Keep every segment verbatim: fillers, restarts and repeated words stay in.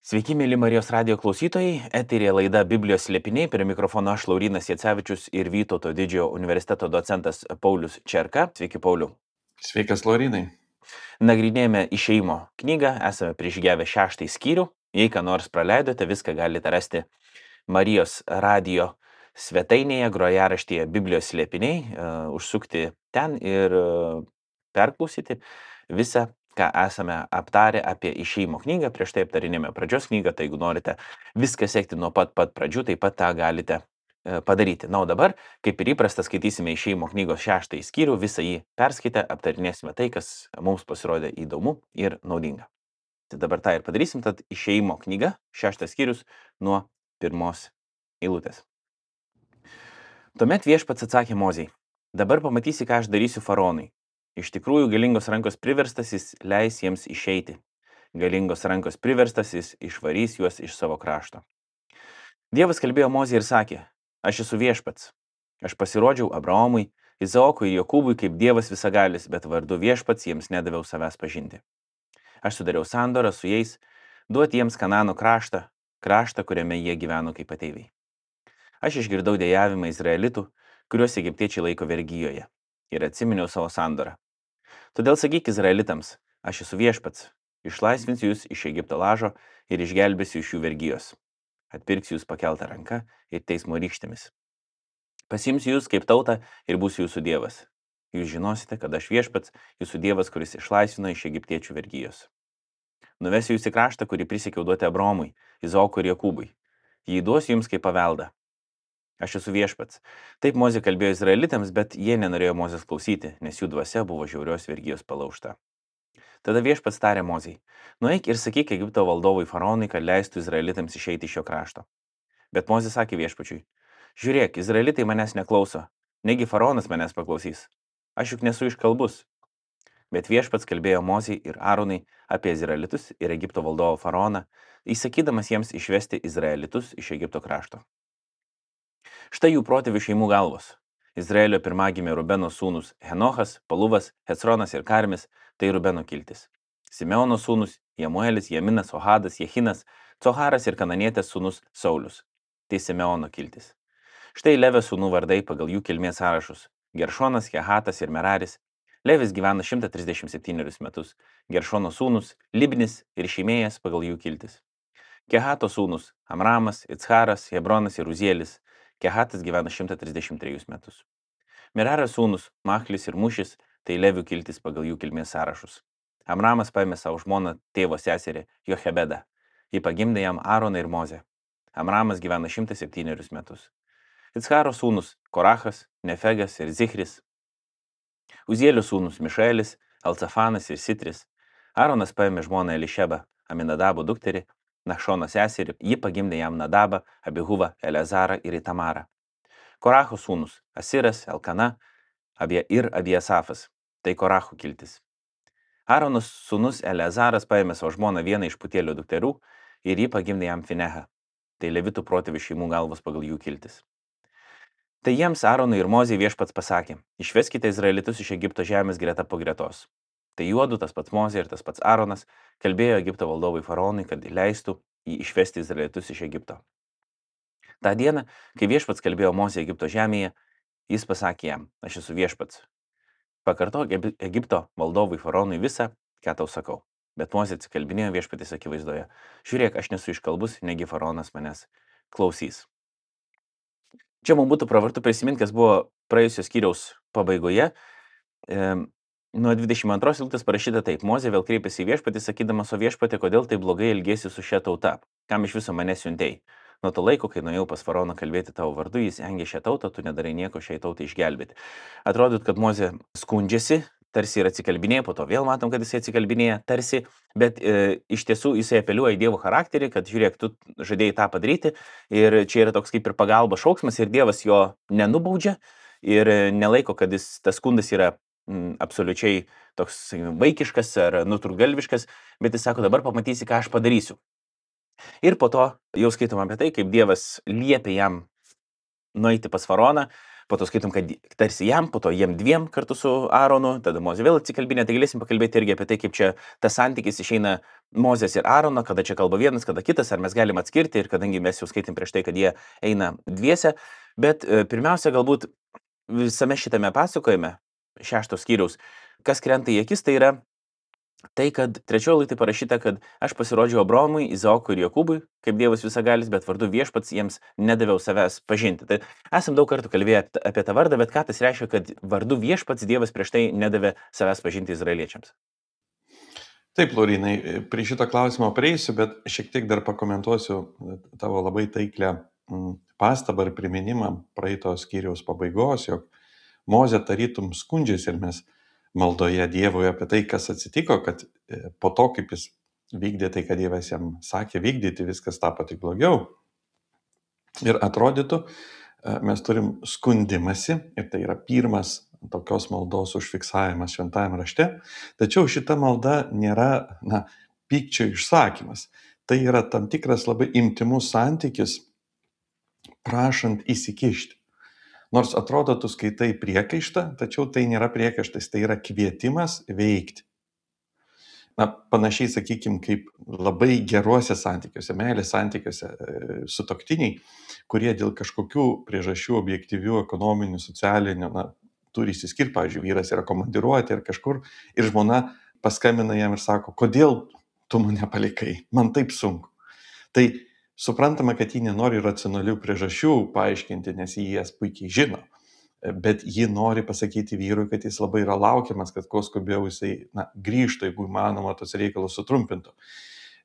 Sveiki, mėly Marijos radijo klausytojai. Eterėje laida Biblijos slėpiniai. Prie mikrofono aš, Laurynas Jacevičius ir Vytauto didžiojo universiteto docentas Paulius Čerka. Sveiki, Pauliu. Sveikas, Laurynai. Nagrinėjame Išėjimo knygą, esame prižgėvę šeštąjį skyrių. Jei ką nors praleidote, viską galite rasti Marijos radijo svetainėje, grojaraštyje Biblijos slėpiniai, uh, užsukti ten ir uh, perklausyti visą, ką esame aptarę apie Išėjimo knygą. Prieš tai aptarinėme pradžios knygą, tai jeigu norite viską sekti nuo pat pat pradžių, taip pat tą galite uh, padaryti. Na, o dabar, kaip ir įprasta, skaitysime Išėjimo knygos šeštąjį skyrių, visą jį perskaitę, aptarinėsime tai, kas mums pasirodė įdomu ir naudinga. Tai dabar tą ir padarysim, tad Išėjimo knyga, šeštas skyrius nuo pirmos eilutės. Tuomet Viešpats atsakė Mozei: dabar pamatysi, ką aš darysiu faraonui. Iš tikrųjų, galingos rankos priverstas jis leis jiems išeiti. Galingos rankos priverstas jis išvarys juos iš savo krašto. Dievas kalbėjo Mozei ir sakė: aš esu Viešpats. Aš pasirodžiau Abraomui, Izaokui ir Jokūbui kaip Dievas visagalis, bet vardu Viešpats jiems nedaviau savęs pažinti. Aš sudariau sandorą su jais, duoti jiems Kanano kraštą, kraštą, kuriame jie gyveno kaip ateiviai. Aš išgirdau dejavimą izraelitų, kuriuos egiptiečiai laiko vergijoje, ir atsiminiau savo sandorą. Todėl sakyk izraelitams: aš esu Viešpats, išlaisvinsiu jūs iš Egipto lažo ir išgelbėsiu iš jų vergijos. Atpirksiu jūs pakeltą ranką ir teismo rykštėmis. Pasimsiu jūs kaip tautą ir būsiu jūsų Dievas. Jūs žinosite, kad aš Viešpats, jūsų Dievas, kuris išlaisvino iš egiptiečių vergijos. Nuvesiu jūs į kraštą, kurį prisiekiau duoti Abraomui, Izaokui ir Jokūbui. Jį duosiu jums kaip paveldą. Aš esu Viešpats. Taip Mozė kalbėjo izraelitams, bet jie nenorėjo Mozės klausyti, nes jų dvasia buvo žiaurios vergijos palaužta. Tada Viešpats tarė Mozei: nueik ir sakyk Egipto valdovui faraonui, kad leistų izraelitams išeiti iš šio krašto. Bet Mozė sakė Viešpačiui: žiūrėk, izraelitai manęs neklauso, negi faraonas manęs paklausys. Aš juk nesu iškalbus. Bet Viešpats kalbėjo Mozei ir Aronai apie izraelitus ir Egipto valdovo faraoną, įsakydamas jiems išvesti izraelitus iš Egipto krašto. Štai jų protėvių šeimų galvos. Izraelio pirmagimė Rubeno sūnus Henochas, Paluvas, Hecronas ir Karmis, tai Rubeno kiltis. Simeono sūnus Jemuelis, Jaminas, Ohadas, Jehinas, Coharas ir kananietės sūnus Saulius, tai Simeono kiltis. Štai Levio sūnų vardai pagal jų kilmės sąrašus: Geršonas, Kehatas ir Meraris. Levis gyvena šimtą trisdešimt septynerius metus. Geršono sūnus Libnis ir Šimėjas pagal jų kiltis. Kehato sūnus Amramas, Iccharas, Hebronas ir Uzielis. Kehatas gyvena šimtą trisdešimt trejus metus. Merario sūnus Machlis ir Mušis, tai Levių kiltis pagal jų kilmės sąrašus. Amramas paėmė savo žmoną tėvo seserį Jochebedą. Ji pagimdė jam Aaroną ir Mozę. Amramas gyvena šimtą septynerius metus. Iccharo sūnus Korachas, Nefegas ir Zichris. Uzielio sūnus Mišaelis, Alcafanas ir Sitris. Aaronas paėmė žmoną Elišebą, Aminadabo dukterį, Našono seserį, ji pagimdė jam Nadabą, Abihuvą, Eleazarą ir Itamarą. Koracho sūnus Asiras, Elkana abie ir Abiesafas, tai Koracho kiltis. Aaronos sūnus Eleazaras paėmė savo žmoną vieną iš Putielio dukterų ir ji pagimdė jam Finehą, tai Levitų protėvių šeimų galvos pagal jų kiltis. Tai jiems Aaronui ir Mozei Viešpats pasakė: išveskite izraelitus iš Egipto žemės greta po gretos. Tai juodu, tas pats Mozė ir tas pats Aaronas, kalbėjo Egipto valdovui faraonui, kad leistų jį išvesti izraelitus iš Egipto. Ta diena, kai Viešpats kalbėjo Mozė Egipto žemėje, jis pasakė jam: aš esu Viešpats. Pakartok Egipto valdovui faraonui visą, ką tau sakau. Bet Mozė atsikalbinėjo Viešpatės akivaizdoje: žiūrėk, aš nesu iškalbus, negi faraonas manęs klausys. Čia mums būtų pravartu prisiminti, kas buvo praėjusios skyriaus pabaigoje. E, Nuo dvidešimt antros eilutės parašyta taip: Mozė vėl kreipėsi į Viešpatį, sakydamas: o Viešpatė, kodėl taip blogai elgiesi su šia tauta? Kam iš viso mane siuntei? Nuo to laiko, kai nuėjau pas faraoną kalbėti tavo vardu, jis engė šią tautą, tu nedarai nieko šiai tautai išgelbėti. Atrodyt, kad Mozė skundžiasi, tarsi ir atsikalbinėja, po to vėl matom, kad jisai atsikalbinėja, tarsi, bet e, iš tiesų jisai apeliuoja į Dievo charakterį, kad žiūrėk, tu žadėjai tą padaryti ir čia yra toks kaip ir pagalba šauksmas ir Dievas jo nenubaudžia ir nelaiko, kad jis, tas skundas yra m, absoliučiai toks vaikiškas ar nutrūgalviškas, bet jis sako: dabar pamatysi, ką aš padarysiu. Ir po to jau skaitom apie tai, kaip Dievas liepia jam nueiti pas faraoną, po to skaitom, kad tarsi jam, po to jiem dviem kartu su Aaronu, tada Mozė vėl atsikalbinė, tai galėsim pakalbėti irgi apie tai, kaip čia tas santykis išeina Mozės ir Aarono, kada čia kalba vienas, kada kitas, ar mes galim atskirti, ir kadangi mes jau skaitėm prieš tai, kad jie eina dviese, bet e, pirmiausia, galbūt visame šitame pasakojime, šešto skyriaus, kas krenta į akis, tai yra tai, kad trečioje eilutėje parašyta, kad aš pasirodžiau Abraomui, Izaokui ir Jokūbui, kaip Dievas visagalis, bet vardu viešpats jiems nedaviau savęs pažinti. Tai esam daug kartų kalbėję apie tą vardą, bet ką tas reiškia, kad vardu viešpats Dievas prieš tai nedavė savęs pažinti izraeliečiams? Taip, Laurinai, prie šito klausimo prieisiu, bet šiek tiek dar pakomentuosiu tavo labai taiklę pastabą ir priminimą praeitos skyriaus pabaigos, jog Mozė tarytum skundžiasi ir mes maldoje Dievui apie tai, kas atsitiko, kad po to, kaip jis vykdė tai, kad Dievas jam sakė vykdyti, viskas tapo tik blogiau. Ir atrodytų, mes turim skundimąsi, ir tai yra pirmas tokios maldos užfiksavimas šventajame rašte, tačiau šita malda nėra, na, pykčio išsakymas. Tai yra tam tikras labai intymus santykis, prašant įsikišti. Nors atrodo, tu skaitai priekaištą, tačiau tai nėra priekaištas, tai yra kvietimas veikti. Na, panašiai, sakykime, kaip labai geruose santykiuose, meilės santykiuose sutuoktiniai, kurie dėl kažkokių priežasčių objektyvių, ekonominių, socialinių, na, turi įsiskirti, pavyzdžiui, vyras yra komandiruoti ir kažkur, ir žmona paskambina jam ir sako, kodėl tu mane palikai, man taip sunku. Tai suprantama, kad ji nenori racionalių priežasčių paaiškinti, nes jį jas puikiai žino, bet ji nori pasakyti vyrui, kad jis labai yra laukiamas, kad kuo skubiau jisai, na, grįžtų, jeigu įmanoma, tos reikalus sutrumpintų.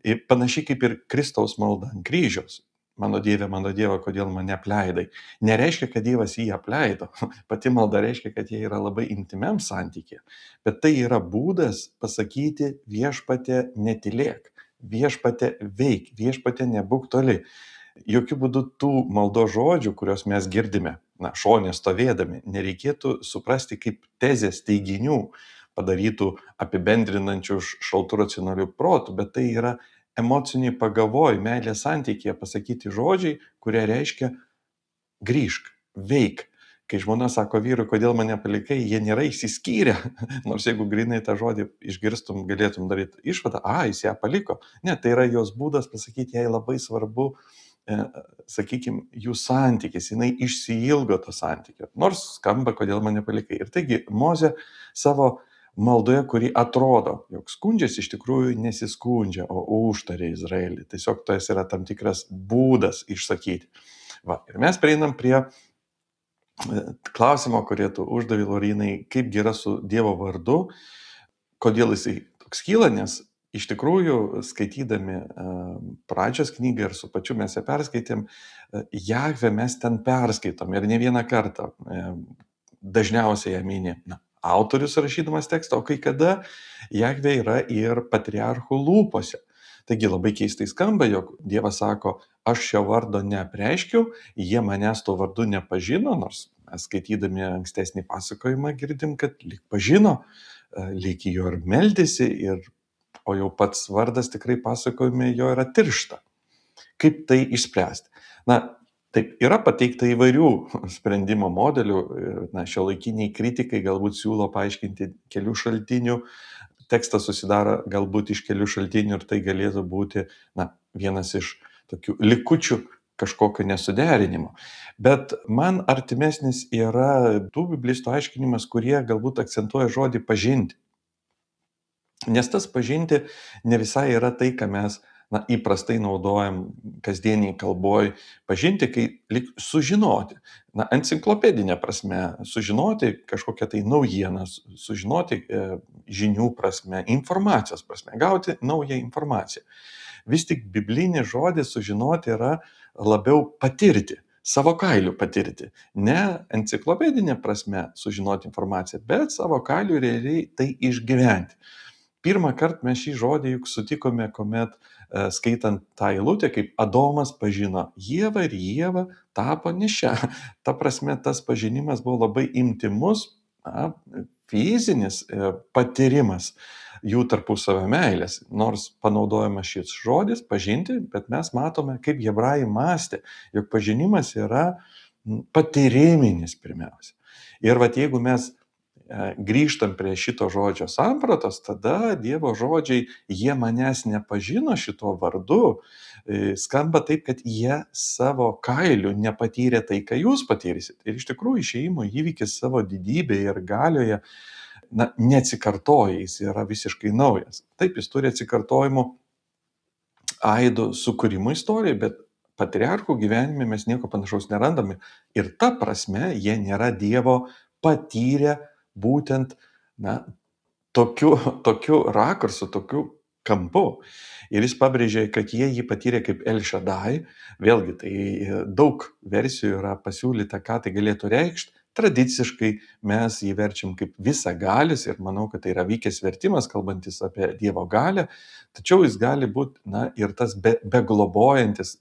Ir panašiai kaip ir Kristaus malda ant kryžiaus. Mano Dieve, mano Dieve, kodėl mane apleidai. Nereiškia, kad Dievas jį apleido. Pati malda reiškia, kad jie yra labai intymiam santykė. Bet tai yra būdas pasakyti viešpatie netylėk. Viešpate veik, viešpate nebūk toli. Jokių būdų tų maldo žodžių, kuriuos mes girdime, na, šonė stovėdami, nereikėtų suprasti kaip tezės teiginių padarytų apibendrinančių šaltų racionalių protų, bet tai yra emociniai pagavoj, meilės santykėje pasakyti žodžiai, kurie reiškia grįžk, veik. Kai žmona sako vyrui, kodėl mane palikai, jie nėra išsiskyrę, nors jeigu grinai tą žodį išgirstum, galėtum daryti išvadą, a, jis ją paliko. Ne, tai yra jos būdas pasakyti, jai labai svarbu, e, sakykime, jų santykis, jinai išsiilgo to santykio, nors skamba, kodėl mane palikai. Ir taigi Mozė savo maldoje, kuri atrodo, jog skundžiasi, iš tikrųjų nesiskundžia, o užtarė Izraelį. Tiesiog tas yra tam tikras būdas išsakyti. Va, ir mes prieinam prie klausimo, kurį tu uždavė, Laurinai, kaip yra su Dievo vardu, kodėl jisai toks kyla, nes iš tikrųjų, skaitydami pradžios knygą ir su pačiu mes ją perskaitėm, Jahvę mes ten perskaitom ir ne vieną kartą. Dažniausiai ją mini, na, autorius rašydamas tekstą, o kai kada Jahvė yra ir patriarchų lūpose. Taigi labai keistai skamba, jog Dievas sako, aš šio vardo neapreiškiau, jie manęs to vardu nepažino, nors mes skaitydami ankstesnį pasakojimą girdim, kad lyg pažino, lyg jo ir meldėsi, ir, o jau pats vardas tikrai pasakojime jo yra tiršta. Kaip tai išspręsti? Na, taip, yra pateikta įvairių sprendimo modelių, na, šiuolaikiniai kritikai galbūt siūlo paaiškinti kelių šaltinių, tekstas susidaro galbūt iš kelių šaltinių ir tai galėtų būti, na, vienas iš tokių likučių kažkokio nesuderinimo. Bet man artimesnis yra tų biblistų aiškinimas, kurie galbūt akcentuoja žodį pažinti. Nes tas pažinti ne visai yra tai, ką mes, na, įprastai naudojam kasdieniai kalboj. Pažinti, kai lyg sužinoti, na, enciklopedinė prasme, sužinoti kažkokią tai naujieną, sužinoti e, žinių prasme, informacijos prasme, gauti naują informaciją. Vis tik biblinis žodis sužinoti yra labiau patirti, savo kailiu patirti. Ne enciklopedinė prasme sužinoti informaciją, bet savo kailiu realiai tai išgyventi. Pirmą kartą mes šį žodį juk sutikome, kuomet e, skaitant tą eilutę, kaip Adomas pažino Ievą ir Ieva tapo nešia. Ta prasme, tas pažinimas buvo labai intymus, na, fizinis e, patyrimas jų tarpusavio meilės. Nors panaudojamas šis žodis pažinti, bet mes matome, kaip hebrajai mąstė, jog pažinimas yra, patyriminis pirmiausia. Ir vat jeigu mes grįžtam prie šito žodžio sampratos, tada Dievo žodžiai, jie manęs nepažino šito vardu, skamba taip, kad jie savo kailiu nepatyrė tai, ką jūs patyrysit. Ir iš tikrųjų išėjimo įvykis savo didybėje ir galioje, na, neatsikartoja, jis yra visiškai naujas. Taip, jis turi atsikartojimo aidų sukūrimo istoriją, bet patriarchų gyvenime mes nieko panašaus nerandame. Ir ta prasme, jie nėra Dievo patyrę būtent, na, tokiu, tokiu rakursu, tokiu kampu. Ir jis pabrėžė, kad jie jį patyrė kaip El Shaddai. Vėlgi, tai daug versijų yra pasiūlyta, ką tai galėtų reikšti. Tradiciškai mes jį verčiam kaip visagalis ir manau, kad tai yra vykęs vertimas, kalbantis apie Dievo galią. Tačiau jis gali būti, na, ir tas be, beglobojantis.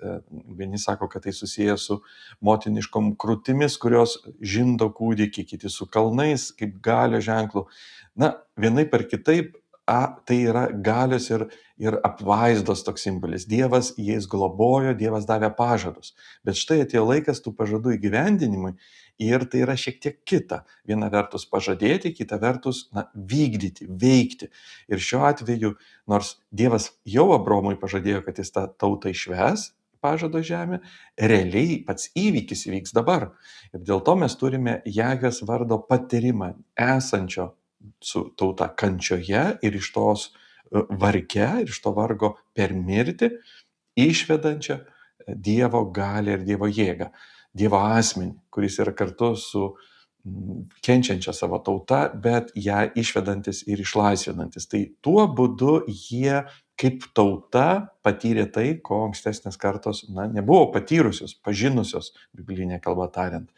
Vieni sako, kad tai susijęs su motiniškom krūtimis, kurios žindo kūdikį, kiti su kalnais, kaip galio ženklų. Na, vienaip ar kitaip, a, tai yra galios ir, ir apvaizdos toks simbolis. Dievas jais globojo, Dievas davė pažadus. Bet štai atėjo laikas tų pažadų įgyvendinimui ir tai yra šiek tiek kita. Viena vertus pažadėti, kita vertus, na, vykdyti, veikti. Ir šiuo atveju, nors Dievas jau Abromui pažadėjo, kad jis tą tautą išves, pažado žemę, realiai pats įvykis įvyks dabar. Ir dėl to mes turime Jahvės vardo patyrimą esančio su tauta kančioje ir iš tos varge, ir iš to vargo per mirtį, išvedančią Dievo galią ir Dievo jėgą, Dievo asmenį, kuris yra kartu su kenčiančia savo tauta, bet ją išvedantis ir išlaisvinantis. Tai tuo būdu jie kaip tauta patyrė tai, ko ankstesnės kartos, na, nebuvo patyrusios, pažinusios, biblinė kalba tariant.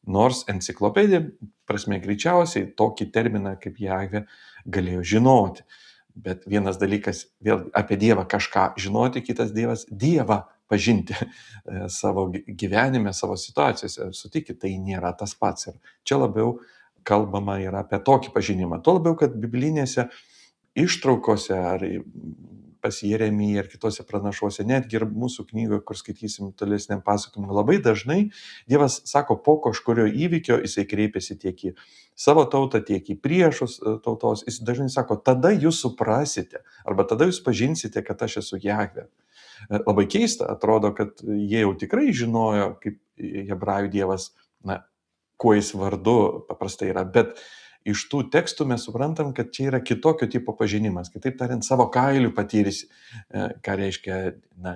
Nors enciklopedija prasme greičiausiai tokį terminą kaip Jahvė galėjo žinoti. Bet vienas dalykas vėl apie Dievą kažką žinoti, kitas Dievas Dievą pažinti savo gyvenime, savo situacijose. Sutikit, tai nėra tas pats. Ir čia labiau kalbama yra apie tokį pažinimą. Tuo labiau, kad biblinėse ištraukose ar pas Jeremiją ir kitose pranašuose, netgi ir mūsų knygoje, kur skaitysim tolesniam pasakojimui, labai dažnai Dievas sako, po kažkurio įvykio jisai kreipiasi tiek į savo tautą, tiek į priešus tautos. Jis dažnai sako, tada jūs suprasite, arba tada jūs pažinsite, kad aš esu Jahvė. Labai keista, atrodo, kad jie jau tikrai žinojo, kaip hebrajų Dievas, na, kuo jis vardu paprastai yra, bet iš tų tekstų mes suprantam, kad čia yra kitokio tipo pažinimas. Kitaip tariant, savo kailiu patyrysi, ką reiškia, na,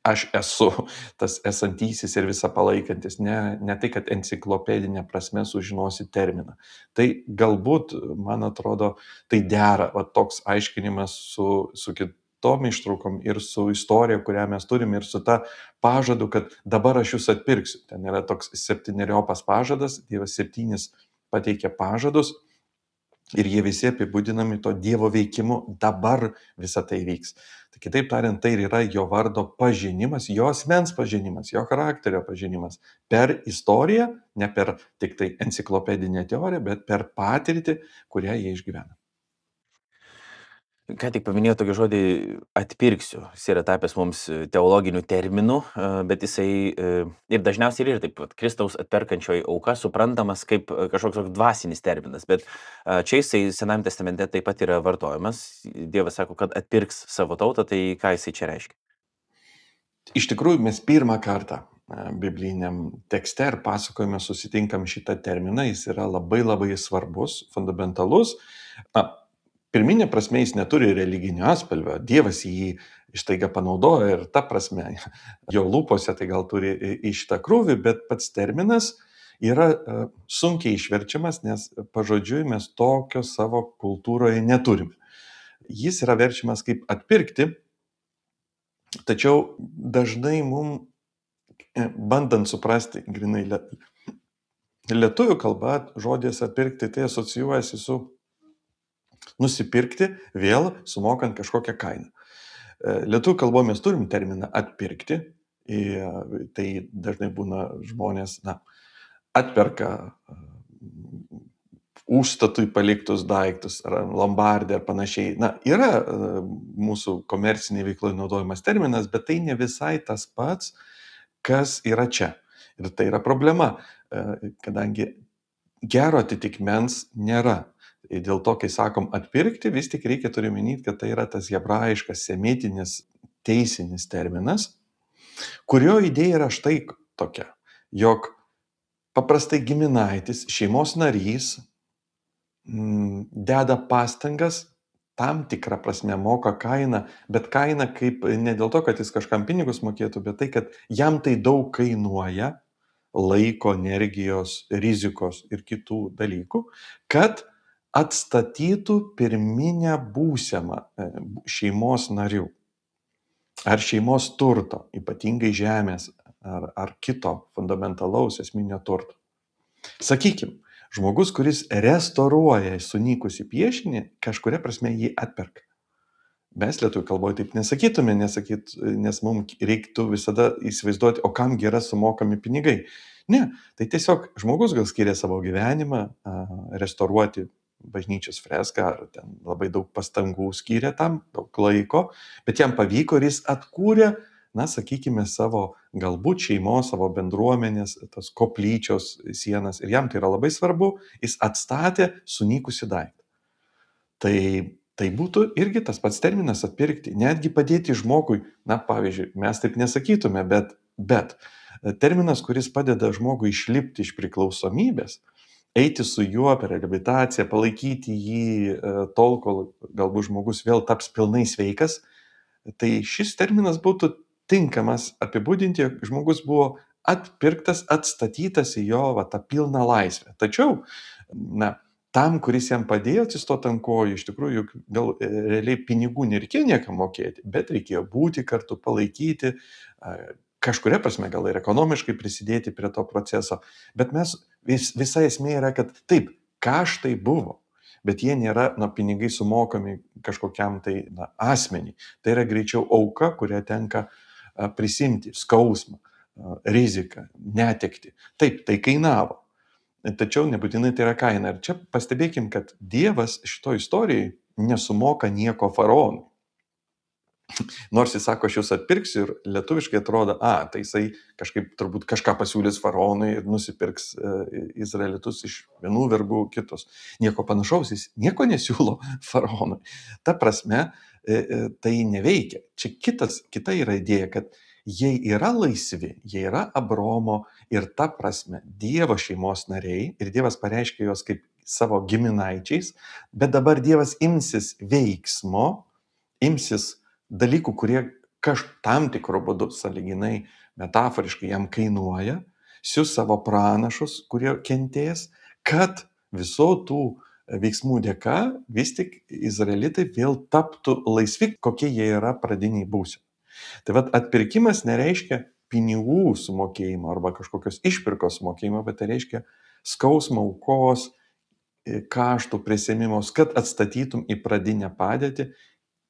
aš esu tas esantysis ir visą palaikantis, ne, ne tai, kad enciklopedinė prasme sužinosi terminą. Tai galbūt, man atrodo, tai dera, va, toks aiškinimas su, su kitom ištraukom ir su istorija, kurią mes turim, ir su ta pažadu, kad dabar aš jūs atpirksiu. Ten yra toks septyneriopas pažadas, Dievas septynis pateikia pažadus ir jie visi apibūdinami to Dievo veikimu, dabar visa tai vyks. Tai kitaip tariant, tai yra jo vardo pažinimas, jo asmens pažinimas, jo charakterio pažinimas per istoriją, ne per tik tai enciklopedinę teoriją, bet per patirtį, kurią jie išgyvena. Ką tik paminėjau tokį žodį atpirksiu. Jis yra tapęs mums teologiniu terminu, bet jisai ir dažniausiai yra taip, Kristaus atperkančioji auka suprantamas kaip kažkoks dvasinis terminas, bet čia jisai Senajame testamente taip pat yra vartojamas. Dievas sako, kad atpirks savo tautą, tai ką jisai čia reiškia? Iš tikrųjų, mes pirmą kartą bibliniam tekste ir pasakojime susitinkam šitą terminą, jis yra labai labai svarbus, fundamentalus. Na, pirminė prasme jis neturi religinio atspalvio, Dievas jį ištaiga panaudojo ir ta prasme jo lūpose tai gal turi į šitą krūvį, bet pats terminas yra sunkiai išverčiamas, nes pažodžiui mes tokio savo kultūroje neturime. Jis yra verčiamas kaip atpirkti, tačiau dažnai mums, bandant suprasti grinai lietuvių kalba, žodis atpirkti tai asocijuojasi su nusipirkti, vėl sumokant kažkokią kainą. Lietuvių kalboje mes turim terminą atpirkti, tai dažnai būna žmonės, na, atperka užstatui paliktus daiktus, ar lombardė ar panašiai. Na, yra mūsų komerciniai veikloje naudojamas terminas, bet tai ne visai tas pats, kas yra čia. Ir tai yra problema, e, kadangi gero atitikmens nėra. Ir dėl to, kai sakom atpirkti, vis tik reikia turi minėti, kad tai yra tas hebrajiškas semitinis teisinis terminas, kurio idėja yra štai tokia, jog paprastai giminaitis, šeimos narys mm, deda pastangas, tam tikrą prasme moka kainą, bet kainą kaip ne dėl to, kad jis kažkam pinigus mokėtų, bet tai, kad jam tai daug kainuoja laiko, energijos, rizikos ir kitų dalykų, kad atstatytų pirminę būseną e, šeimos narių ar šeimos turto, ypatingai žemės ar, ar kito fundamentalaus esminio turto. Sakykime, žmogus, kuris restauruoja sunykusį piešinį, kažkuria prasme jį atperka. Mes lietuvių kalboje taip nesakytume, nesakyt, nes mums reiktų visada įsivaizduoti, o kam yra sumokami pinigai. Ne, tai tiesiog žmogus gal skiria savo gyvenimą a, restauruoti bažnyčios freską, ar ten labai daug pastangų skiria tam, daug laiko, bet jam pavyko ir jis atkūrė, na, sakykime, savo galbūt šeimos, savo bendruomenės, tos koplyčios sienas. Ir jam tai yra labai svarbu, jis atstatė sunykusi daiktą. Tai Tai būtų irgi tas pats terminas atpirkti, netgi padėti žmogui, na pavyzdžiui, mes taip nesakytume, bet, bet terminas, kuris padeda žmogui išlipti iš priklausomybės, eiti su juo per reabilitaciją, palaikyti jį tol, kol galbūt žmogus vėl taps pilnai sveikas, tai šis terminas būtų tinkamas apibūdinti, jog žmogus buvo atpirktas, atstatytas į jo va, tą pilną laisvę. Tačiau, na, tam, kuris jam padėjo atsistoti ant kojų, iš tikrųjų, gal realiai pinigų nereikėjo niekam mokėti, bet reikėjo būti kartu, palaikyti, kažkuria prasme gal ir ekonomiškai prisidėti prie to proceso. Bet mes, vis, visa esmė yra, kad taip, kaštai buvo, bet jie nėra, na, pinigai sumokami kažkokiam tai, na, asmeniui. Tai yra greičiau auka, kurią tenka prisimti, skausmą, riziką, netekti. Taip, tai kainavo. Tačiau nebūtinai tai yra kaina. Ir čia pastebėkim, kad Dievas šito istorijai nesumoka nieko faraonui. Nors jis sako, aš jūs atpirksiu ir lietuviškai atrodo, a, tai jisai kažkaip turbūt kažką pasiūlys faraonui ir nusipirks e, izraelitus iš vienų vergų kitus. Nieko panašaus, jis nieko nesiūlo faraonui. Ta prasme, e, e, tai neveikia. Čia kitas, kita yra idėja, kad jie yra laisvi, jie yra Abraomo ir ta prasme Dievo šeimos nariai ir Dievas pareiškia juos kaip savo giminaičiais, bet dabar Dievas imsis veiksmo, imsis dalykų, kurie kaž tam tikro būdu sąlyginai metaforiškai jam kainuoja, sius savo pranašus, kurie kentės, kad viso tų veiksmų dėka vis tik izraelitai vėl taptų laisvi, kokie jie yra pradiniai būsimi. Tai vat atpirkimas nereiškia pinigų sumokėjimo arba kažkokios išpirkos sumokėjimo, bet tai reiškia skausmo, aukos, kaštų prisėmimos, kad atstatytum į pradinę padėtį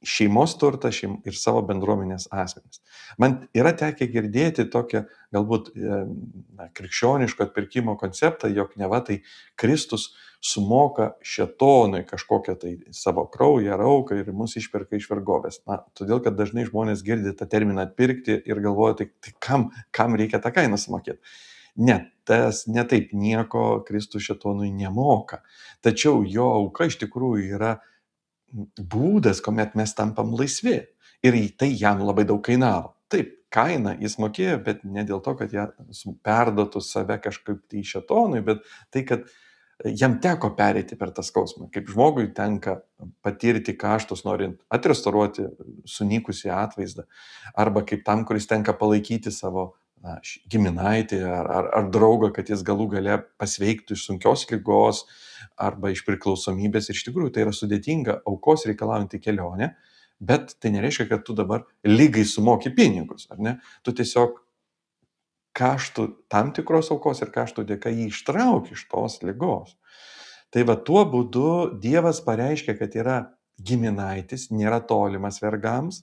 šeimos turtą šeim, ir savo bendruomenės asmenis. Man yra tekę girdėti tokią galbūt na, krikščioniško atpirkimo konceptą, jog neva tai Kristus sumoka šėtonui kažkokią tai savo kraują ar auką ir mus išperka iš vergovės. Na, todėl, kad dažnai žmonės girdi tą terminą atpirkti ir galvoja, tai, tai kam, kam reikia tą kainą sumokėti. Ne, tas ne taip, nieko Kristus šėtonui nemoka. Tačiau jo auka iš tikrųjų yra būdas, kuomet mes tampam laisvi. Ir tai jam labai daug kainavo. Taip, kainą jis mokėjo, bet ne dėl to, kad jie perduotų save kažkaip tai šėtonui, bet tai, kad jam teko pereiti per tą skausmą. Kaip žmogui tenka patirti kaštus, norint atrestauruoti sunykusį atvaizdą. Arba kaip tam, kuris tenka palaikyti savo na, giminaitį ar, ar, ar draugą, kad jis galų gale pasveiktų iš sunkios ligos arba iš priklausomybės. Ir iš tikrųjų tai yra sudėtinga, aukos reikalaujanti kelionė, bet tai nereiškia, kad tu dabar lygai sumoki pinigus, ar ne? Tu tiesiog kaštų tam tikros aukos ir kaštų dėka jį ištrauki iš tos ligos. Tai va tuo būdu Dievas pareiškia, kad yra giminaitis, nėra tolimas vergams.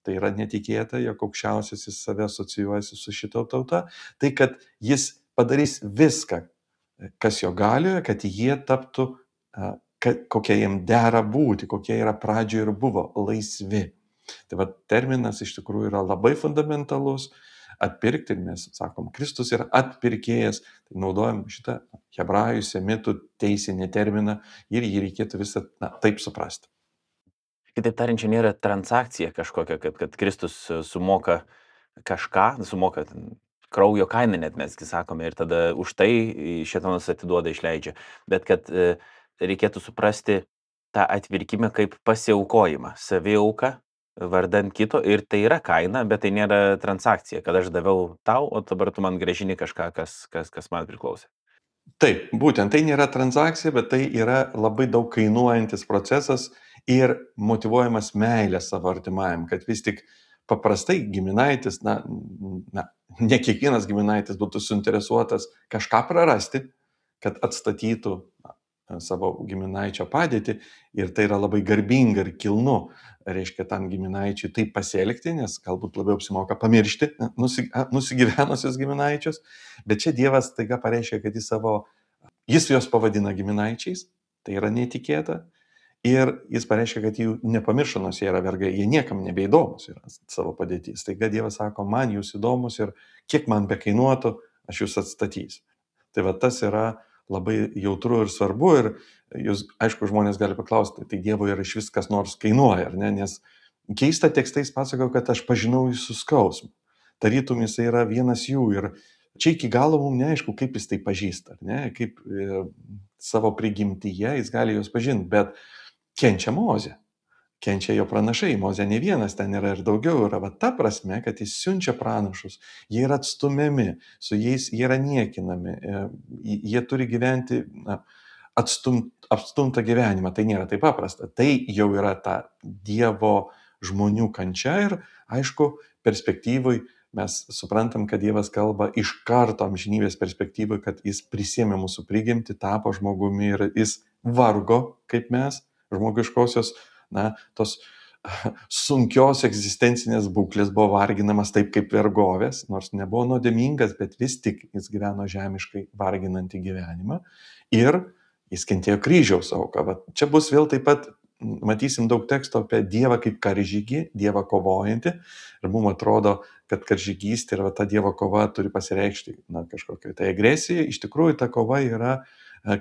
Tai yra netikėta, jog aukščiausiasis save asocijuojasi su šito tauta. Tai kad jis padarys viską, kas jo galioje, kad jie taptų, kad, kokie jiem dera būti, kokie yra pradžioje ir buvo laisvi. Tai va terminas iš tikrųjų yra labai fundamentalus. atpirkti, ir mes sakom, Kristus yra atpirkėjas, tai naudojam šitą hebrajų, semitų teisinį terminą ir jį reikėtų visą na, taip suprasti. Kitaip tariant, čia nėra transakcija kažkokia, kad, kad Kristus sumoka kažką, sumoka ten kraujo kainą net mesgi sakome ir tada už tai šėtonas atiduoda, išleidžia. Bet kad e, reikėtų suprasti tą atvirkimą kaip pasiaukojimą, saviauką vardan kito ir tai yra kaina, bet tai nėra transakcija, kad aš daviau tau, o dabar tu man grąžini kažką, kas, kas, kas man priklausė. Taip, būtent tai nėra transakcija, bet tai yra labai daug kainuojantis procesas ir motyvuojamas meilė savo artimajam, kad vis tik paprastai giminaitis, na, na, ne kiekvienas giminaitis būtų suinteresuotas kažką prarasti, kad atstatytų na, savo giminaičio padėtį ir tai yra labai garbinga ir kilnu, reiškia, tam giminaičiui taip pasielgti, nes galbūt labiau apsimoka pamiršti nusi, nusigyvenusius giminaičius, bet čia Dievas taiga pareiškia, kad jis savo, jis juos pavadina giminaičiais, tai yra netikėta. Ir jis pareiškia, kad jų nepamiršo, nors jie yra vergai, jie niekam nebeįdomus yra savo padėtys. Taigi Dievas sako, man jūs įdomus ir kiek man bekainuotų, aš jūs atstatysiu. Tai va tas yra labai jautru ir svarbu ir jūs, aišku, žmonės gali paklausti, tai Dievui yra iš vis kas nors kainuoja, ar ne? Nes keista tekstais pasakau, kad aš pažinau jūsų skausmą. Tarytum jis yra vienas jų ir čia iki galo mums neaišku, kaip jis tai pažįsta, ar ne? Kaip e, savo prigimtyje jis gali juos pažinti, bet kenčia Mozė, kenčia jo pranašai, Mozė ne vienas, ten yra ir daugiau, yra va ta prasme, kad jis siunčia pranašus, jie yra atstumiami, su jais jie yra niekinami, jie turi gyventi na, atstum, atstumtą gyvenimą, tai nėra taip paprasta, tai jau yra ta Dievo žmonių kančia ir aišku, perspektyvui mes suprantam, kad Dievas kalba iš karto amžinybės perspektyvui, kad jis prisėmė mūsų prigimtį, tapo žmogumi ir jis vargo kaip mes, žmogiškosios, na, tos sunkios egzistencinės būklės buvo varginamas taip kaip vergovės, nors nebuvo nuodėmingas, bet vis tik jis gyveno žemiškai varginantį gyvenimą ir jis kentėjo kryžiaus auką. Va, čia bus vėl taip pat, matysim daug teksto apie Dievą kaip karžygį, Dievą kovojantį ir mums atrodo, kad karžygystė ir va, ta Dievo kova turi pasireikšti na, kažkokiai tai agresijai. Iš tikrųjų, ta kova yra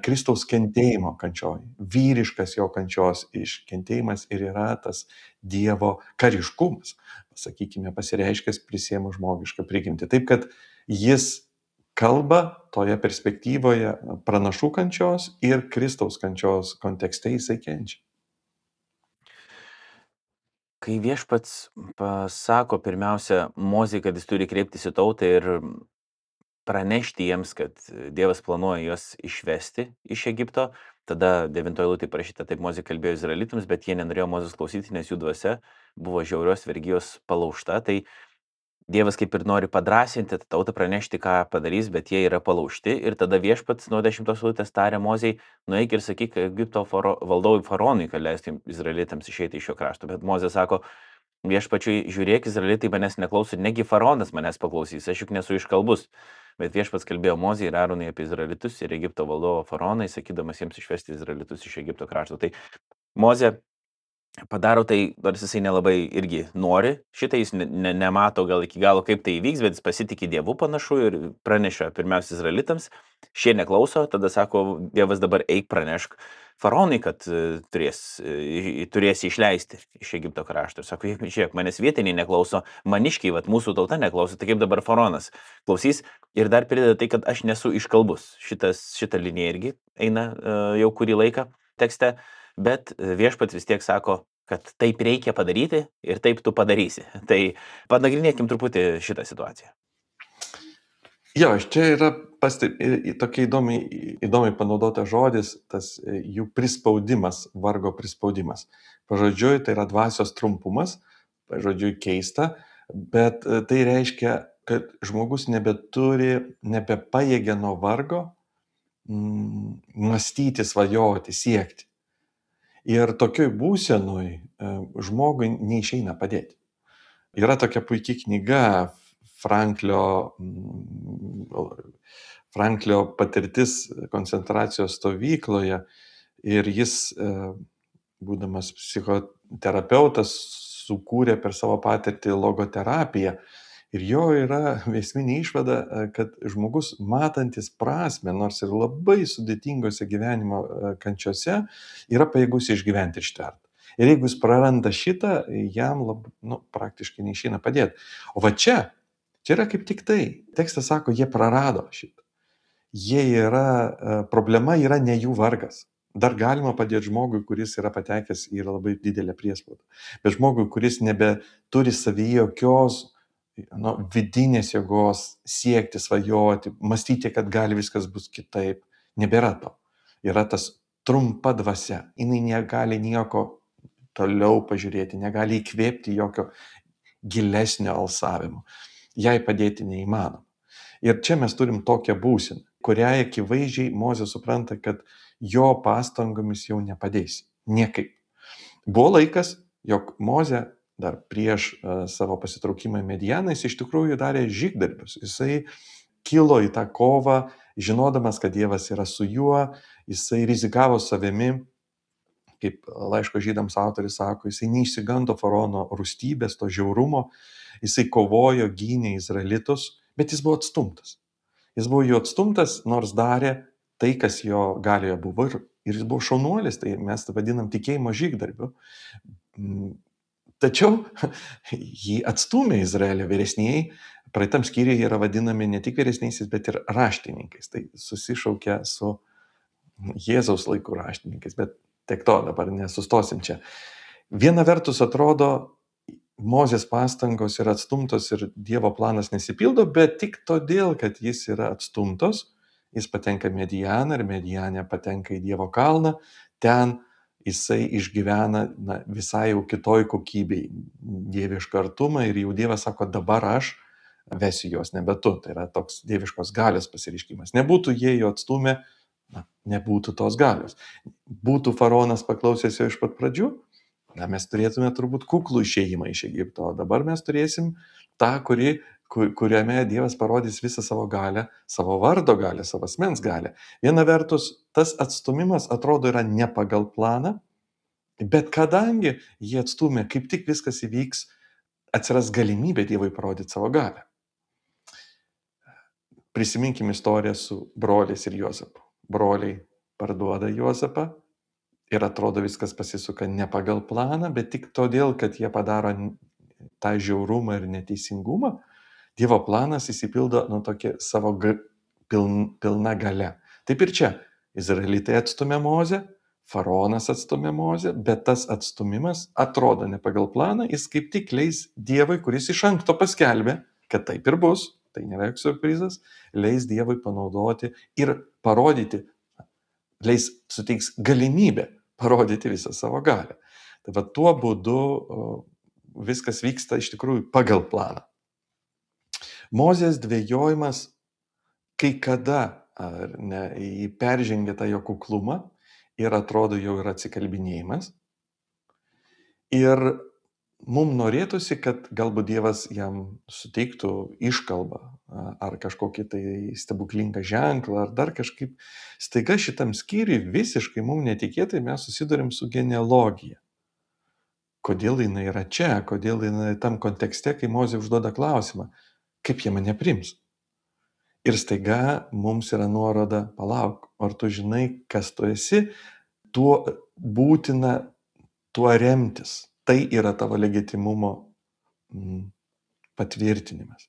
Kristaus kentėjimo kančioj, vyriškas jo kančios iškentėjimas ir yra tas Dievo kariškumas, sakykime, pasireiškęs prisėmus žmogišką prigimtį. Taip, kad jis kalba toje perspektyvoje pranašų kančios ir Kristaus kančios kontekste jisai kenčia. Kai viešpats pasako pirmiausia Mozei, kad jis turi kreiptis į tautą ir pranešti jiems, kad Dievas planuoja juos išvesti iš Egipto. Tada devintoje eilutėje parašyta, taip Mozė kalbėjo izraelitams, bet jie nenorėjo Mozės klausyti, nes jų dvasia buvo žiaurios vergijos palaužta. Tai Dievas kaip ir nori padrasinti tautą, pranešti, ką padarys, bet jie yra palaužti. Ir tada viešpats nuo dešimtos eilutės tarė Mozei, nueik ir sakyk Egipto faro, valdovui faraonui, kad leistų izraelitams išeiti iš šio krašto. Bet Mozė sako, viešpačiui, žiūrėk, izraelitai manęs neklauso, negi faraonas manęs paklausys, aš juk nesu iškalbus. Bet viešpats kalbėjo Mozei ir Aronui apie izraelitus ir Egipto valdovo faraonai, sakydamas jiems išvesti izraelitus iš Egipto krašto. Tai Mozė padaro tai, nors jisai nelabai irgi nori, šitą jis ne, ne, nemato gal iki galo, kaip tai įvyks, bet jis pasitikė Dievu panašu ir praneša pirmiausia izraelitams. Šie neklauso, tada sako, Dievas dabar eik pranešk faraonui, kad turės, turės išleisti iš Egipto krašto. Ir sako, žiūrėk, manęs vietiniai neklauso, maniškiai, vat, mūsų tauta neklauso, tai kaip dabar faraonas klausys. Ir dar prideda tai, kad aš nesu iškalbus. Šitas, šita linija irgi eina jau kurį laiką tekste, bet viešpats vis tiek sako, kad taip reikia padaryti ir taip tu padarysi. Tai panagrinėkim truputį šitą situaciją. Jo, čia yra pasteb... tokia įdomiai, įdomiai panaudota žodis, tas jų prispaudimas, vargo prispaudimas. Pažodžiui, tai yra dvasios trumpumas, pažodžiui keista, bet tai reiškia, kad žmogus nebeturi, nebepajėgia nuo vargo mm, mąstyti, svajoti, siekti. Ir tokioj būsenoj žmogui neišeina padėti. Yra tokia puikia knyga Franklio, Franklio patirtis koncentracijos stovykloje ir jis, būdamas psichoterapeutas, sukūrė per savo patirtį logoterapiją Ir jo yra esminė išvada, kad žmogus matantis prasme, nors ir labai sudėtingose gyvenimo kančiose, yra pajėgus išgyventi ir ištvert. Ir jeigu jis praranda šitą, jam lab, nu, praktiškai neišeina padėti. O va čia, čia yra kaip tik tai. Tekstas sako, jie prarado šitą. Jie yra, problema yra ne jų vargas. Dar galima padėti žmogui, kuris yra patekęs į labai didelę priespaudą. Bet žmogui, kuris nebeturi savyje jokios nu, vidinės jėgos siekti, svajoti, mąstyti, kad gali viskas bus kitaip, nebėra to. Yra tas trumpa dvasia. Jinai negali nieko toliau pažiūrėti, negali įkvėpti jokio gilesnio alsavimo. Jai padėti neįmanoma. Ir čia mes turim tokią būseną, kurią akivaizdžiai Mozė supranta, kad jo pastangomis jau nepadės. Niekaip. Buvo laikas, jog Mozė dar prieš uh, savo pasitraukimą į Medianą, jis iš tikrųjų darė žygdarbius. Jisai kilo į tą kovą, žinodamas, kad Dievas yra su juo, jisai rizikavo savimi, kaip laiško žydams autoris sako, jisai neišsigando faraono rūstybės, to žiaurumo, jisai kovojo, gynė izraelitus, bet jis buvo atstumtas. Jis buvo jų atstumtas, nors darė tai, kas jo galioje buvo, ir, ir jis buvo šaunuolis, tai mes tai vadinam tikėjimo žygdarbiu. Tačiau jį atstūmė Izraelio vyresnieji, praeitam skyriuje yra vadinami ne tik vyresniaisiais, bet ir raštininkais. Tai susišaukia su Jėzaus laikų raštininkais, bet tiek to, dabar nesustosim čia. Viena vertus atrodo, Mozės pastangos yra atstumtos ir Dievo planas nesipildo, bet tik todėl, kad jis yra atstumtos, jis patenka Medianą ir Medianė patenka į Dievo kalną, ten jisai išgyvena na, visai jau kitoj kokybei dievišką artumą ir jau Dievas sako, dabar aš vesiu juos, nebe tu. Tai yra toks dieviškos galios pasireiškimas. Nebūtų jie jo atstumę, na, nebūtų tos galios. Būtų faraonas paklausęs jo iš pat pradžių, na, mes turėtume turbūt kuklų išėjimą iš Egipto. O dabar mes turėsim tą, kuri, kur, kuriame Dievas parodys visą savo galę, savo vardo galę, savo asmens galę. Viena vertus, tas atstumimas atrodo yra ne pagal planą, bet kadangi jie atstumė, kaip tik viskas įvyks, atsiras galimybė Dievui parodyti savo galę. Prisiminkim istoriją su broliais ir Juozapu. Broliai parduoda Juozapą ir atrodo viskas pasisuka ne pagal planą, bet tik todėl, kad jie padaro tą žiaurumą ir neteisingumą, Dievo planas įsipildo nu, tokia savo ga, piln, pilna gale. Taip ir čia. Izraelitai atstumė Mozę, faraonas atstumė Mozę, bet tas atstumimas atrodo ne pagal planą, jis kaip tik leis Dievui, kuris iš anksto paskelbė, kad taip ir bus, tai nėra joks surprizas, leis Dievui panaudoti ir parodyti, leis suteiks galimybę parodyti visą savo galią. Tai va tuo būdu viskas vyksta iš tikrųjų pagal planą. Mozės dvejojimas kai kada ar ne, peržengia tą jo kuklumą ir atrodo jau yra atsikalbinėjimas. Ir mums norėtųsi, kad galbūt Dievas jam suteiktų iškalbą ar kažkokį tai stebuklingą ženklą ar dar kažkaip. Staiga šitam skyriui visiškai mums netikėtai mes susidurim su genealogija. Kodėl jinai yra čia, kodėl jinai tam kontekste, kai Mozė užduoda klausimą, kaip jie mane priims. Ir staiga mums yra nuoroda, palauk, ar tu žinai, kas tu esi, tuo būtina tuo remtis. Tai yra tavo legitimumo patvirtinimas.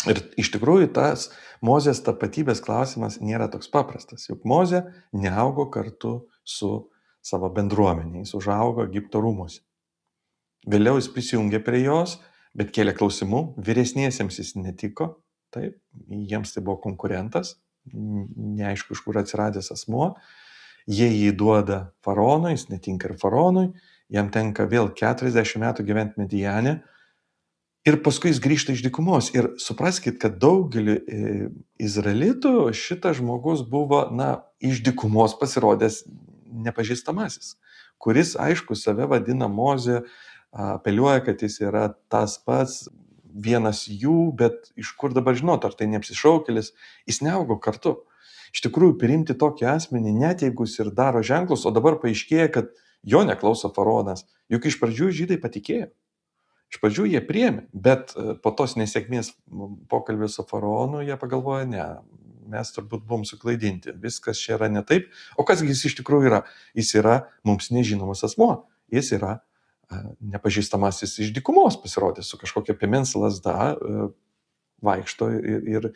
Ir iš tikrųjų tas Mozės tapatybės klausimas nėra toks paprastas. Juk Mozė neaugo kartu su savo bendruomenė, jis užaugo Egipto rūmuose. Vėliau jis prisijungė prie jos, bet kėlė klausimų, vyresniesiems jis netiko, taip, jiems tai buvo konkurentas, neaišku, iš kur atsiradęs asmuo, jie jį duoda faraonui, jis netinka ir faraonui, jam tenka vėl keturiasdešimt metų gyventi Mediane ir paskui jis grįžta iš dykumos. Ir supraskit, kad daugelį izraelitų šitas žmogus buvo, na, iš dykumos pasirodęs nepažįstamasis, kuris, aišku, save vadina Mozė, apeliuoja, kad jis yra tas pats, vienas jų, bet iš kur dabar žinot, ar tai neapsišaukėlis, jis neaugo kartu. Iš tikrųjų, priimti tokį asmenį, net jeigu jis ir daro ženklus, o dabar paaiškėja, kad jo neklauso faraonas, juk iš pradžių žydai patikėjo. Iš pradžių jie priėmė, bet po tos nesėkmės pokalbio su faraonu jie pagalvojo, ne, mes turbūt buvom suklaidinti, viskas čia yra ne taip. O kasgi jis iš tikrųjų yra? Jis yra mums nežinomas asmuo, jis yra nepažįstamasis iš dykumos pasirodė su kažkokia piemens lasda, vaikšto ir, ir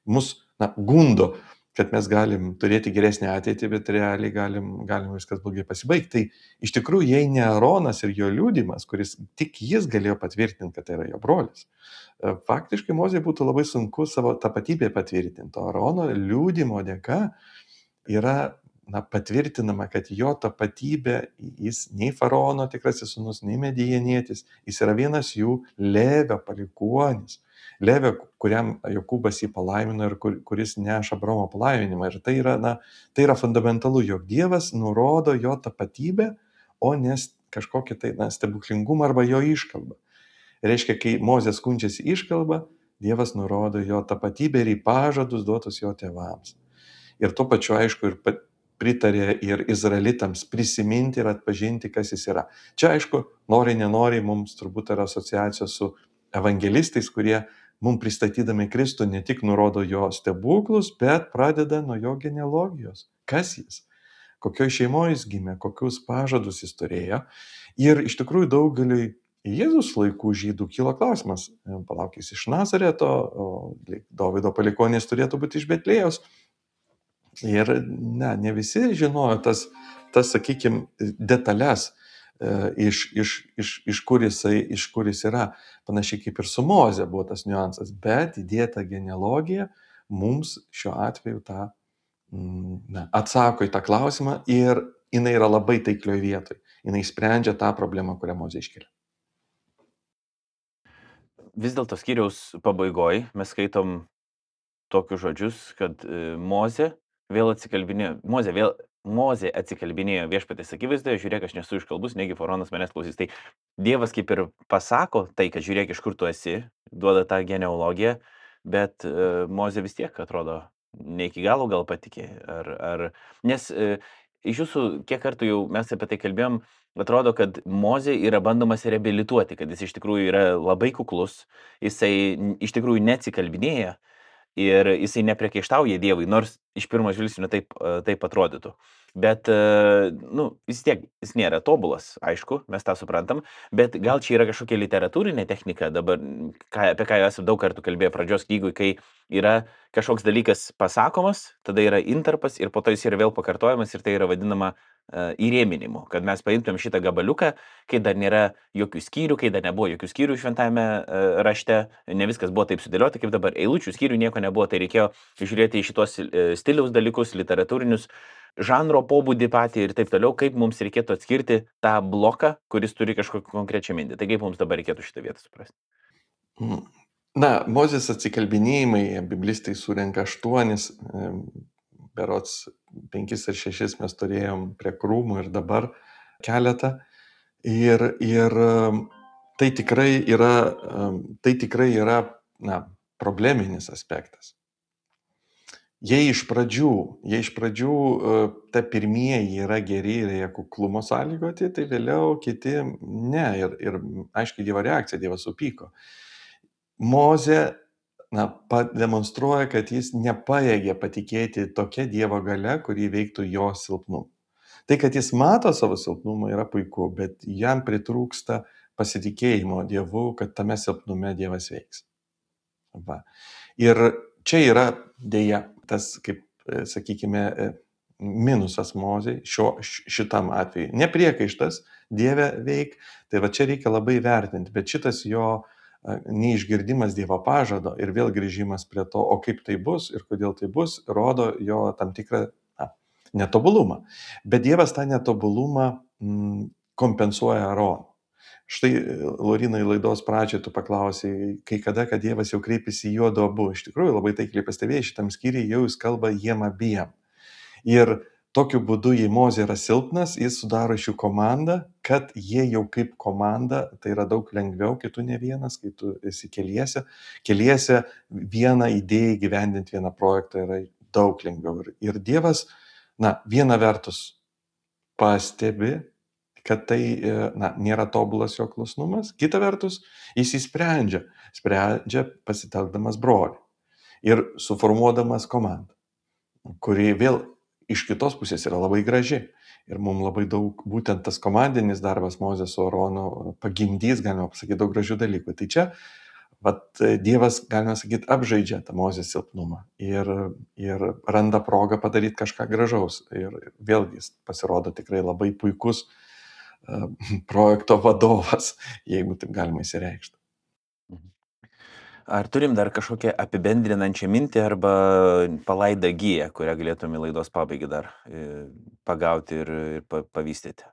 mus na, gundo, kad mes galim turėti geresnę ateitį, bet realiai galim, galim viskas blogai pasibaigti. Tai iš tikrųjų, jei ne Aronas ir jo liudimas, kuris tik jis galėjo patvirtinti, kad tai yra jo brolis, faktiškai Mozei būtų labai sunku savo tapatybę patvirtinti. O Arono liudimo dėka yra na, patvirtinama, kad jo tapatybė, jis nei faraono tikrasis sūnus, nei medijanietis, jis yra vienas jų Levio palikuonis. Levio, kuriam Jokūbas jį palaimino ir kur, kuris neša Abraomo palaiminimą. Ir tai yra, na, tai yra fundamentalu, jog Dievas nurodo jo tapatybę, o ne kažkokį tai na, stebuklingumą arba jo iškalbą. Reiškia, kai Mozė skundžiasi iškalbą, Dievas nurodo jo tapatybę ir į pažadus duotus jo tėvams. Ir tuo pačiu, aišku, ir pritarė ir izraelitams prisiminti ir atpažinti, kas jis yra. Čia, aišku, nori, nenori, mums turbūt yra asociacijos su evangelistais, kurie mums pristatydami Kristų ne tik nurodo jo stebuklus, bet pradeda nuo jo genealogijos. Kas jis? Kokioje šeimoje jis gimė, kokius pažadus jis turėjo. Ir iš tikrųjų daugeliui Jėzus laikų žydų kilo klausimas, palauk, jis iš Nazareto, o Dovydo palikuonis turėtų būti iš Betlėjos. Ir ne, ne visi žinojo tas, tas sakykime, detalės, iš, iš, iš, iš, kur jisai, iš kur jis yra. Panašiai kaip ir su Moze buvo tas niuansas, bet įdėta genealogija mums šiuo atveju tą, na, atsako į tą klausimą ir jinai yra labai taiklioje vietoje. Jinai sprendžia tą problemą, kurią Mozė iškelia. Vis dėlto skyriaus pabaigoje mes skaitom tokius žodžius, kad Mozė vėl atsikalbinėjo, Mozė vėl Mozė atsikalbinėjo Viešpaties akivaizdoje, žiūrėk, aš nesu iškalbus, negi faraonas manęs klausys. Tai Dievas kaip ir pasako tai, kad žiūrėk, iš kur tu esi, duoda tą genealogiją, bet uh, Mozė vis tiek atrodo ne iki galo gal patikė. Ar, ar... Nes uh, iš jūsų, kiek kartų jau mes apie tai kalbėjom, atrodo, kad Mozė yra bandomas reabilituoti, kad jis iš tikrųjų yra labai kuklus, jisai iš tikrųjų neatsikalbinėja. Ir jisai nepriekaištauja Dievui, nors iš pirmo žvilgsnio taip, taip atrodytų. Bet, nu, vis tiek, jis nėra tobulas, aišku, mes tą suprantam, bet gal čia yra kažkokia literatūrinė technika, dabar, ką, apie ką jau esame daug kartų kalbėję pradžios knygui, kai yra kažkoks dalykas pasakomas, tada yra intarpas ir po to jis yra vėl pakartojamas ir tai yra vadinama uh, įrėminimu, kad mes paimtum šitą gabaliuką, kai dar nėra jokių skyrių, kai dar nebuvo jokių skyrių šventame uh, rašte, ne viskas buvo taip sudėliota, kaip dabar eilučių skyrių nieko nebuvo, tai reikėjo žiūrėti į šitos uh, stiliaus dalykus, literatūrinius, žanro pobūdį patį ir taip toliau, kaip mums reikėtų atskirti tą bloką, kuris turi kažkokią konkrečią mintį. Tai kaip mums dabar reikėtų šitą vietą suprasti? Na, Mozės atsikalbinėjimai, biblistai surenka aštuonis, berods penkis ar šešis mes turėjom prie krūmų ir dabar keletą. Ir, ir tai tikrai yra, tai tikrai yra na, probleminis aspektas. Jei iš pradžių, jei iš pradžių ta pirmieji yra geri ir jie kuklumo sąlygoti, tai vėliau kiti ne. Ir, ir aiškiai Dievo reakcija, Dievas supyko. Mozė na, pademonstruoja, kad jis nepajėgė patikėti tokia Dievo galia, kuri veiktų jo silpnumą. Tai, kad jis mato savo silpnumą, yra puiku, bet jam pritrūksta pasitikėjimo Dievu, kad tame silpnume Dievas veiks. Va. Ir čia yra dėja tas, kaip sakykime, minusas Mozei šio, šitam atveju. Nepriekaištas Dieve veik, tai va čia reikia labai vertinti, bet šitas jo neišgirdimas Dievo pažado ir vėl grįžimas prie to, o kaip tai bus ir kodėl tai bus, rodo jo tam tikrą na, netobulumą. Bet Dievas tą netobulumą mm, kompensuoja Aaronu. Štai, Laurinai, laidos pradžioje tu paklausai, kai kada, kad Dievas jau kreipėsi į juodu abu. Iš tikrųjų, labai taikliai pastebėjai, šitam skyriui jau jis kalba jiem abiem. Ir tokiu būdu, jei Mozė yra silpnas, jis sudaro iš jų komandą, kad jie jau kaip komanda, tai yra daug lengviau, kai tu ne vienas, kai tu esi keliese. Keliese vieną idėją gyvendinti, vieną projektą yra daug lengviau. Ir Dievas, na, viena vertus pastebi, kad tai na, nėra tobulas jo klusnumas. Kita vertus, jis įsprendžia, sprendžia pasitelkdamas brolį ir suformuodamas komandą, kuri vėl iš kitos pusės yra labai graži. Ir mums labai daug, būtent tas komandinis darbas Mozės su Aronu pagimdys, galima pasakyti, daug gražių dalykų. Tai čia vat, Dievas, galima sakyti, apžaidžia tą Mozės silpnumą ir, ir randa progą padaryti kažką gražaus. Ir vėlgi jis pasirodo tikrai labai puikus uh, projekto vadovas, jeigu taip galima įsireikšti. Ar turim dar kažkokią apibendrinančią mintį arba palaidą giją, kurią galėtume laidos pabaigai dar pagauti ir, ir pavystyti?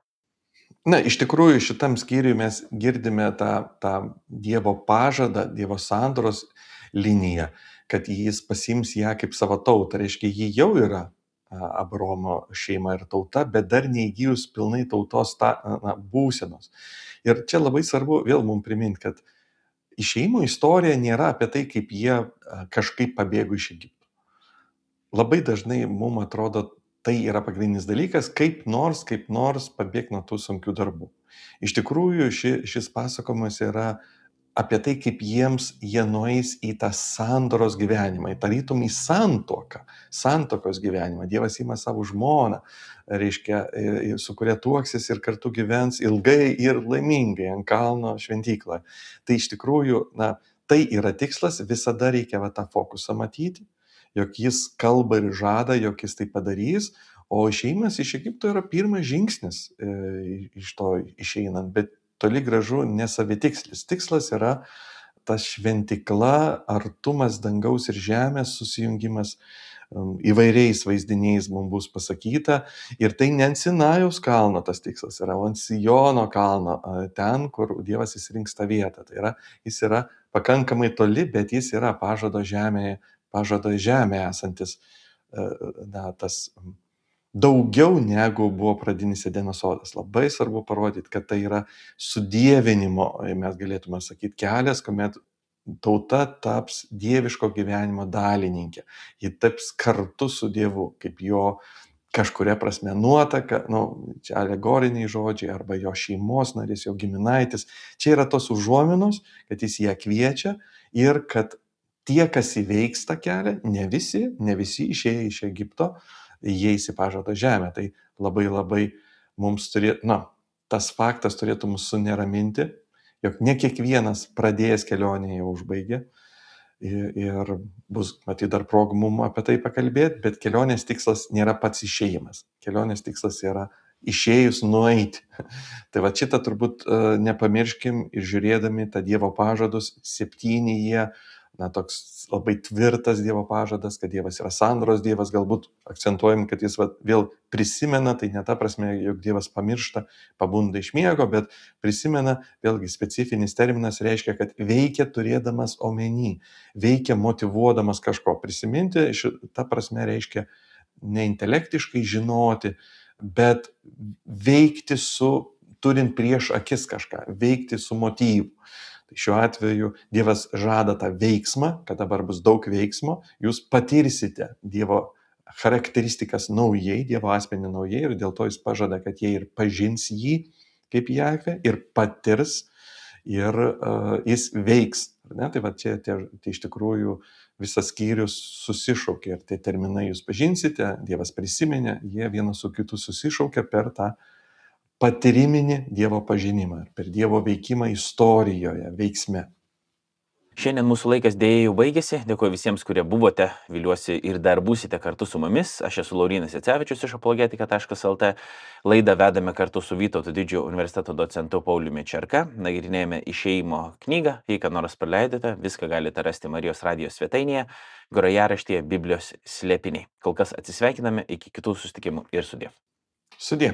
Na, iš tikrųjų, šitam skyriui mes girdime tą, tą Dievo pažadą, Dievo sandoros liniją, kad jis pasiims ją kaip savo tautą. Reiškia, ji jau yra Abraomo šeima ir tauta, bet dar neįgyjus pilnai tautos ta, na, būsenos. Ir čia labai svarbu vėl mums priminti, kad išėjimo istorija nėra apie tai, kaip jie kažkaip pabėgo iš Egipto. Labai dažnai mums atrodo, tai yra pagrindinis dalykas, kaip nors, kaip nors pabėgti nuo tų sunkių darbų. Iš tikrųjų, ši, šis pasakojimas yra apie tai, kaip jiems jie nueis į tą sandoros gyvenimą, tarytum į santuoką, santokos gyvenimą. Dievas ima savo žmoną, reiškia, su kuria tuoksis ir kartu gyvens ilgai ir laimingai ant kalno šventykloje. Tai iš tikrųjų, na, tai yra tikslas, visada reikia va, tą fokusą matyti, jog jis kalba ir žada, jog jis tai padarys, o išėjimas iš Egipto yra pirmas žingsnis e, iš to išeinant, bet toli gražu nesavitikslis. Tikslas yra ta šventikla, artumas dangaus ir žemės susijungimas, įvairiais vaizdiniais mums bus pasakyta. Ir tai ne ant Sinajaus kalno tas tikslas yra, o ant Siono kalno, ten, kur Dievas įsirinks tą vietą. Tai yra, jis yra pakankamai toli, bet jis yra pažado žemėje, pažado žemė esantis, na, tas daugiau negu buvo pradinis Edeno sodas. Labai svarbu parodyti, kad tai yra sudievinimo, mes galėtume sakyti, kelias, kuomet tauta taps dieviško gyvenimo dalininkė. Ji taps kartu su Dievu, kaip jo kažkuria prasme nuotaka, nu, čia alegoriniai žodžiai, arba jo šeimos narys, jo giminaitis. Čia yra tos užuominos, kad jis ją kviečia ir kad tie, kas įveiks tą kelią, ne visi, ne visi išėję iš Egipto, jie įsipažado žemę. Tai labai labai mums turėtų, na, tas faktas turėtų mus suneraminti, jog ne kiekvienas pradėjęs kelionę jau užbaigė. Ir, ir bus, matyt, dar progų mums apie tai pakalbėti, bet kelionės tikslas nėra pats išėjimas. Kelionės tikslas yra išėjus nueiti. Tai va šitą turbūt uh, nepamirškim ir žiūrėdami tą Dievo pažadus, septyni jie, na, toks labai tvirtas Dievo pažadas, kad Dievas yra sandoros Dievas, galbūt akcentuojam, kad jis va, vėl prisimena, tai ne ta prasme, jog Dievas pamiršta, pabunda iš miego, bet prisimena, vėlgi specifinis terminas reiškia, kad veikia turėdamas omeny, veikia motyvuodamas kažko. Prisiminti šitą prasme reiškia ne intelektiškai žinoti, bet veikti su, turint prieš akis kažką, veikti su motyvu. Tai šiuo atveju Dievas žada tą veiksmą, kad dabar bus daug veiksmo, jūs patirsite Dievo charakteristikas naujai, Dievo asmenį naujai ir dėl to jis pažada, kad jie ir pažins jį kaip Jahvę ir patirs ir uh, jis veiks. Ne? Tai va čia tie, tai iš tikrųjų visas skyrius susišaukia ir tie terminai jūs pažinsite, Dievas prisiminė, jie vienas su kitu susišaukia per tą patyriminį Dievo pažinimą, per Dievo veikimą istorijoje, veiksme. Šiandien mūsų laikas dėja jau baigėsi. Dėkuoju visiems, kurie buvote, viliuosi ir dar būsite kartu su mumis. Aš esu Laurynas Jacevičius iš apologetika taškas el t. Laidą vedame kartu su Vytauto Didžiojo universiteto docentu Pauliumi Čerka. Nagrinėjame išėjimo knygą. Jei ką nors praleidote, viską galite rasti Marijos radijos svetainėje, grojaraštyje Biblijos slėpiniai. Kol kas atsisveikiname, iki kitų susitikimų ir sudie. Sudie.